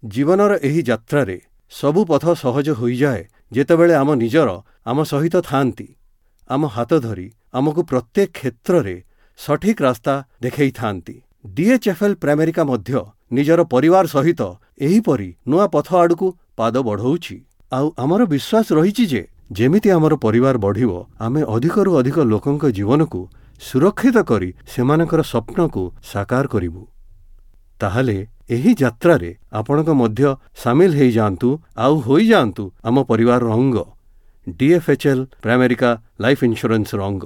ଜୀବନର ଏହି ଯାତ୍ରାରେ ସବୁ ପଥ ସହଜ ହୋଇଯାଏ ଯେତେବେଳେ ଆମ ନିଜର ଆମ ସହିତ ଥାଆନ୍ତି, ଆମ ହାତ ଧରି ଆମକୁ ପ୍ରତ୍ୟେକ କ୍ଷେତ୍ରରେ ସଠିକ୍ ରାସ୍ତା ଦେଖେଇଥାନ୍ତି। ଡିଏଚ୍ଏଫ୍ଏଲ୍ ପ୍ରାଇମେରିକା ମଧ୍ୟ ନିଜର ପରିବାର ସହିତ ଏହିପରି ନୂଆ ପଥ ଆଡ଼କୁ ପାଦ ବଢ଼ଉଛି। ଆଉ ଆମର ବିଶ୍ୱାସ ରହିଛି ଯେ ଯେମିତି ଆମର ପରିବାର ବଢ଼ିବ, ଆମେ ଅଧିକରୁ ଅଧିକ ଲୋକଙ୍କ ଜୀବନକୁ ସୁରକ୍ଷିତ କରି ସେମାନଙ୍କର ସ୍ୱପ୍ନକୁ ସାକାର କରିବୁ। ତାହେଲେ ଏହି ଯାତ୍ରାରେ ଆପଣଙ୍କ ମଧ୍ୟ ସାମିଲ ହେଇଯାଆନ୍ତୁ ଆଉ ହୋଇଯାଆନ୍ତୁ ଆମ ପରିବାରର ଅଙ୍ଗ, ଡିଏଫ୍ଏଚ୍ଏଲ୍ ପ୍ରାଇମେରିକା ଲାଇଫ୍ ଇନ୍ସୁରାନ୍ସର ଅଙ୍ଗ।